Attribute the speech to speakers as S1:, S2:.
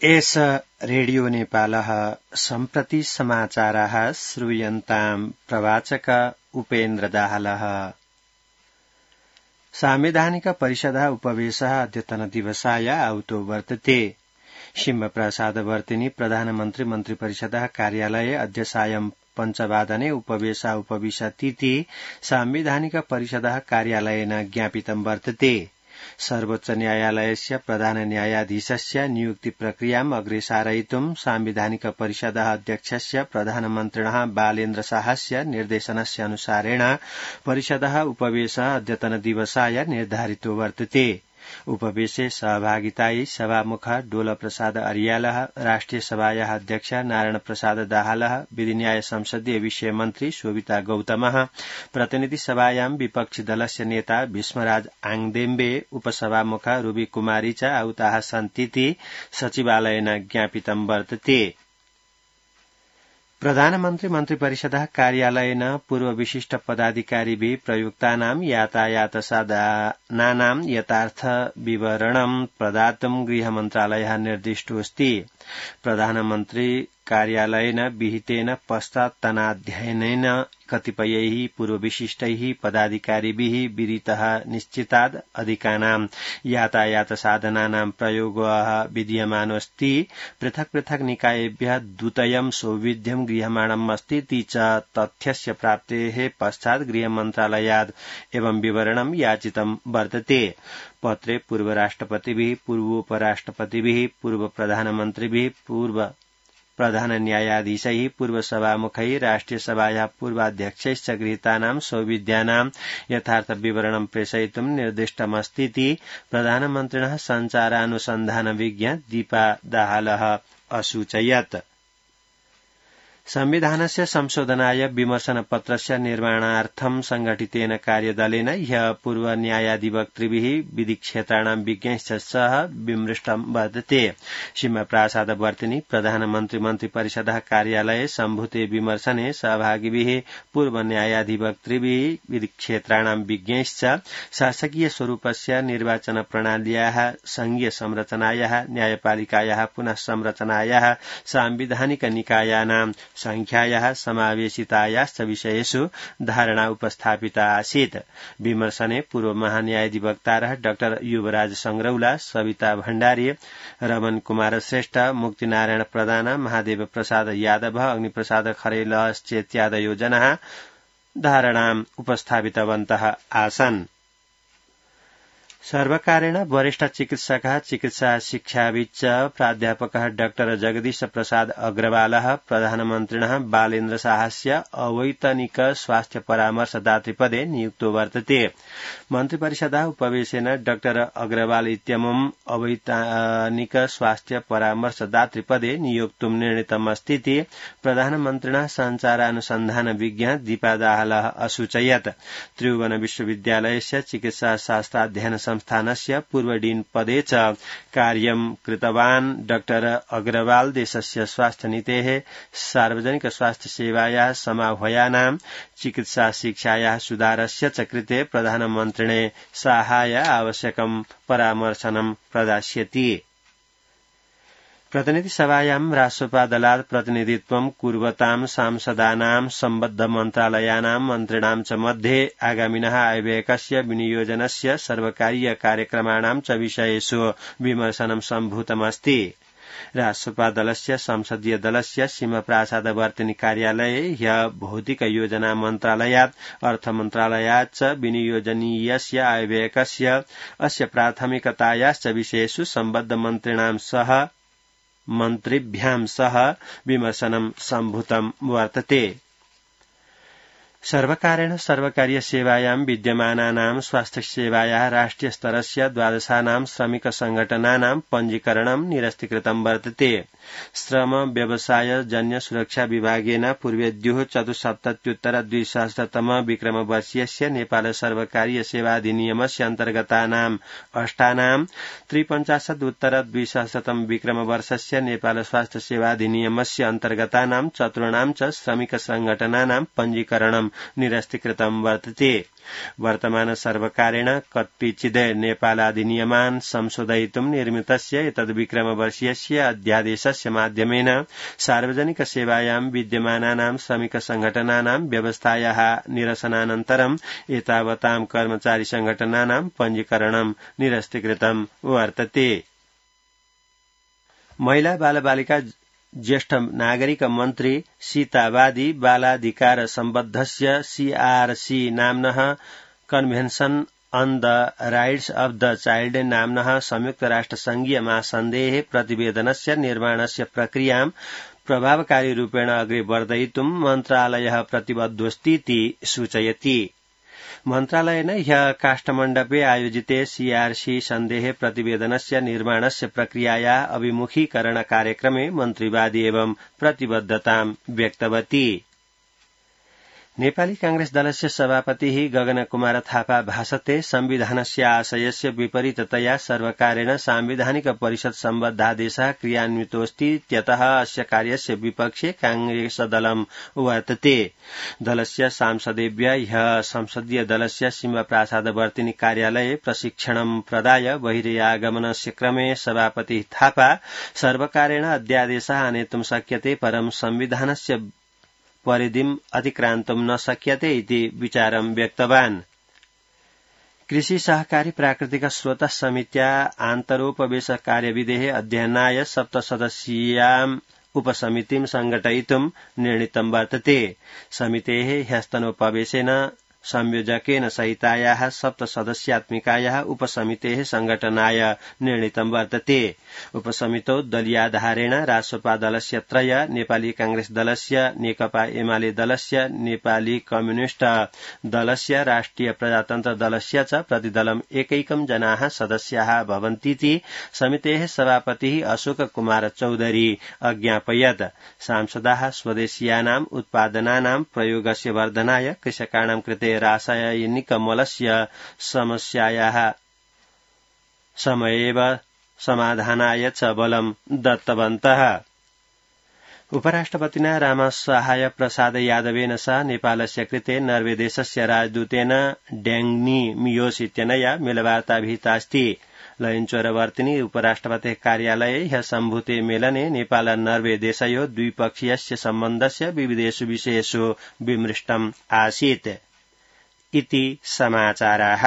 S1: एष रेडियो नेपालः सम्प्रति समाचाराः श्रूयन्ताम् प्रवाचक उपेन्द्र दाहालः। सांविधानिक परिषदः उपवेशः अद्यतन दिवसाय आहुतो वर्तते। शिवप्रसादवर्तिनी प्रधानमन्त्री मन्त्रिपरिषदः कार्यालये अद्य सायं 5:00 उपवेशः उपविशतीति सांविधानिक परिषदः कार्यालयेन ज्ञापितं वर्तते। सर्वोच्च न्यायालयस्य प्रधान न्यायाधीशस्य नियुक्ति प्रक्रियाम् अग्रे सारयितुं सांविधानिक परिषदः अध्यक्षस्य प्रधानमन्त्रिणः बालेन्द्र शाहस्य निर्देशनस्य अनुसारेण परिषदः उपवेशः अद्यतन दिवसाय निर्धारितो वर्तते। उपवेशे सहभागितायै सभामुख डोलप्रसाद अर्यालः, राष्ट्रिय सभायाः अध्यक्ष नारायण प्रसाद दाहालः, विधि न्याय संसदीय विषय मन्त्री शोभिता गौतमः, प्रतिनिधि सभायां विपक्षी दलस्य नेता भीष्मराज आङदेम्बे, उपसभामुख रूबी कुमारी च आहुताः सन्तीति सचिवालयेन ज्ञापितं वर्तते। प्रधानमन्त्री मन्त्रिपरिषदः कार्यालयेन पूर्व विशिष्ट पदाधिकारिभिः प्रयुक्तानां यातायात साधनानां यथार्थ विवरणं प्रदातुं गृहमन्त्रालयः निर्दिष्टोऽस्ति। प्रधानमन्त्री कार्यालयेन विहितेन पश्चात्तनाध्ययनेन कतिपयैः पूर्व विशिष्टैः पदाधिकारिभिः विदितः निश्चिताद् अधिकानां यातायात साधनानां प्रयोगः विधीयमानोऽस्ति। पृथक् पृथक् निकायेभ्यः द्वितयं सौविध्यं गृह्यमाणम् अस्तीति च तथ्यस्य प्राप्तेः पश्चात् गृहमन्त्रालयाद् एवं विवरणं याचितं वर्तते। पत्रे पूर्व राष्ट्रपतिभिः, पूर्वोपराष्ट्रपतिभिः, पूर्व प्रधानमन्त्रिभिः, पूर्व प्रधान न्यायाधीशैः, पूर्व सभामुखैः, राष्ट्रिय सभायाः पूर्वाध्यक्षैश्च गृहीतानां सौविध्यानां यथार्थ विवरणं प्रेषयितुं निर्दिष्टमस्तीति प्रधानमन्त्रिणः सञ्चारानुसन्धान विज्ञ दीपा दाहालः असूचयत्। संविधानस्य संशोधनाय विमर्शनपत्रस्य निर्माणार्थं संघटितेन कार्यदलेन ह्यः पूर्व न्यायाधिवक्तृभिः, विधिक्षेत्राणां विज्ञैश्च सह विमृष्टं वर्तते। शिवप्रसादवर्तिनी प्रधानमन्त्री मन्त्रिपरिषदः कार्यालये सम्भूते विमर्शने सहभागिभिः पूर्व न्यायाधिवक्तृभिः, विधिक्षेत्राणां विज्ञैश्च शासकीय स्वरूपस्य निर्वाचन प्रणाल्याः, संघीय संरचनायाः, न्यायपालिकायाः पुनः संरचनायाः, सांविधानिक निकायानां संख्यायाः, समावेशितायाश्च विषयेषु धारणा उपस्थापिता आसीत्। विमर्शने पूर्व महान्यायाधिवक्तारः डाक्टर युवराज संग्रौला, सविता भण्डारी, रमन कुमार श्रेष्ठ, मुक्तिनारायण प्रधान, महादेव प्रसाद यादव, अग्निप्रसाद खरेलश्चेत्यादयो जनाः धारणाम् उपस्थापितवन्तः आसन्। सर्वकारेण वरिष्ठ चिकित्सकः चिकित्सा शिक्षाविच्च प्राध्यापकः डाक्टर जगदीश प्रसाद अग्रवालः प्रधानमन्त्रिणः बालेन्द्र शाहस्य अवैतनिक स्वास्थ्य परामर्शदातृपदे नियुक्तो वर्तते। मन्त्रिपरिषदः उपवेशेन डाक्टर अग्रवाल इत्यमुम् अवैतनिक स्वास्थ्य परामर्शदातृपदे नियोक्तुं निर्णीतमस्तीति प्रधानमन्त्रिणः सञ्चारानुसन्धान विज्ञ दीपा दाहालः असूचयत्। त्रिभुवन विश्वविद्यालयस्य चिकित्सा शास्त्राध्ययन संस्थानस्य पूर्व डीन पदे च कार्यं कृतवान् डाक्टर अग्रवाल देशस्य स्वास्थ्य नीतेः, सार्वजनिक स्वास्थ्य सेवायाः समाह्वयानां चिकित्सा शिक्षायाः सुधारस्य च कृते प्रधानमन्त्रिणे साहाय्य आवश्यकं परामर्शनं प्रदास्यति। प्रतिनिधि सभायां राष्ट्रपा दलात् प्रतिनिधित्वं कुर्वतां सांसदानां सम्बद्ध मन्त्रालयानां मन्त्रिणां च मध्ये आगामिनः आयव्ययकस्य विनियोजनस्य सर्वकारीय कार्यक्रमाणां च विषयेषु विमर्शनं सम्भूतमस्ति। राष्ट्रपा दलस्य संसदीय दलस्य शिवप्रसादवर्तिनी कार्यालये ह्यः भौतिक योजना मन्त्रालयात्, अर्थमन्त्रालयात् च विनियोजनीयस्य आयव्ययकस्य अस्य प्राथमिकतायाश्च विषयेषु सम्बद्ध मन्त्रिभ्यां सह विमर्शनं सम्भूतं वर्तते। सर्वकारेण सर्वकारीय सेवायां विद्यमानानां स्वास्थ्य सेवायाः राष्ट्रिय स्तरस्य 12 श्रमिक संघटनानां पञ्जीकरणं निरस्तीकृतं वर्तते। श्रम व्यवसाय जन्य सुरक्षा विभागेन पूर्वेद्युः 74,200 विक्रमवर्षीयस्य नेपाल सर्वकारीय सेवाधिनियमस्य अन्तर्गतानां 8 53,200 विक्रमवर्षस्य नेपाल स्वास्थ्य सेवाधिनियमस्य अन्तर्गतानां 4 च श्रमिक संघटनानां पञ्जीकरणं निरस्तीकृतं वर्तते। वर्तमान सर्वकारेण कतिचिद् नेपालाधिनियमान् संशोधयितुं निर्मितस्य एतद्विक्रमवर्षीयस्य अध्यादेशस्य माध्यमेन सार्वजनिक सेवायां विद्यमानानां श्रमिक संघटनानां व्यवस्थायाः निरसनानन्तरम् एतावतां कर्मचारी संघटनानां पञ्जीकरणं निरस्तीकृतं वर्तते। महिला बालबालिका ज्येष्ठ नागरिक मन्त्री सीतावादी बालाधिकार सम्बद्धस्य CRC नाम्नः कन्भेन्शन अन द राइट्स अफ द चाइल्ड नाम्नः संयुक्त राष्ट्रसङ्घीय महासन्धेः प्रतिवेदनस्य निर्माणस्य प्रक्रियां प्रभावकारी रूपेण अग्रे वर्धयितुं मन्त्रालयः प्रतिबद्धोऽस्तीति सूचयति। मन्त्रालयेन ह्यः काष्ठमण्डपे आयोजिते CRC सन्धेः प्रतिवेदनस्य निर्माणस्य प्रक्रियायाः अभिमुखीकरण कार्यक्रमे मन्त्रीवादी एवं प्रतिबद्धतां व्यक्तवती। नेपाली कांग्रेस दलस्य सभापतिः गगनकुमार थापा भाषते संविधानस्य आशयस्य विपरीततया सर्वकारेण सांविधानिक परिषद सम्बद्धादेशः क्रियान्वितोऽस्तीत्यतः अस्य कार्यस्य विपक्षे कांग्रेसदलं वर्तते। दलस्य सांसदेभ्यः ह्यः संसदीय दलस्य सिंहप्रासादवर्तिनी कार्यालये प्रशिक्षणं प्रदाय बहिरागमनस्य क्रमे सभापतिः थापा सर्वकारेण अध्यादेशः आनेतुं शक्यते परं संविधानस्य परिधिम् अतिक्रान्तुं न शक्यते इति विचारं व्यक्तवान्। कृषि सहकारी प्राकृतिक स्रोत समित्या आन्तरोपवेश कार्यविधेः अध्ययनाय 7 सदस्यीयाम् उपसमितिं संघटयितुं निर्णीतं वर्तते। समितेः ह्यस्तनोपवेशेन संयोजकेन सहितायाः 7 सदस्यात्मिकायाः उपसमितेः संघटनाय निर्णीतं वर्तते। उपसमितौ दलीयाधारेण रासोपा दलस्य 3, नेपाली कांग्रेस दलस्य, नेकपा एमाले दलस्य, नेपाली कम्युनिष्ट दलस्य, राष्ट्रिय प्रजातन्त्र दलस्य च प्रतिदलं एकैकं जनाः सदस्याः भवन्तीति समितेः सभापतिः अशोक कुमार चौधरी अज्ञापयत्। सांसदाः स्वदेशीयानाम् उत्पादनानां प्रयोगस्य वर्धनाय कृषकाणां कृते रासायनिकमलस्य समस्यायाः समयेव समाधानाय च बलं दत्तवन्तः। उपराष्ट्रपतिना रामसहाय प्रसाद यादवेन सह नेपालस्य कृते नर्वे देशस्य राजदूतेन ड्याङ्नी मियोस इत्यनया मेलवार्ता विहितास्ति। लयञ्चोरवर्तिनी उपराष्ट्रपतेः कार्यालये ह्यः सम्भूते मेलने नेपाल नर्वे देशयोः द्विपक्षीयस्य सम्बन्धस्य विविधेषु विषयेषु विमृष्टम् आसीत् इति समाचाराः।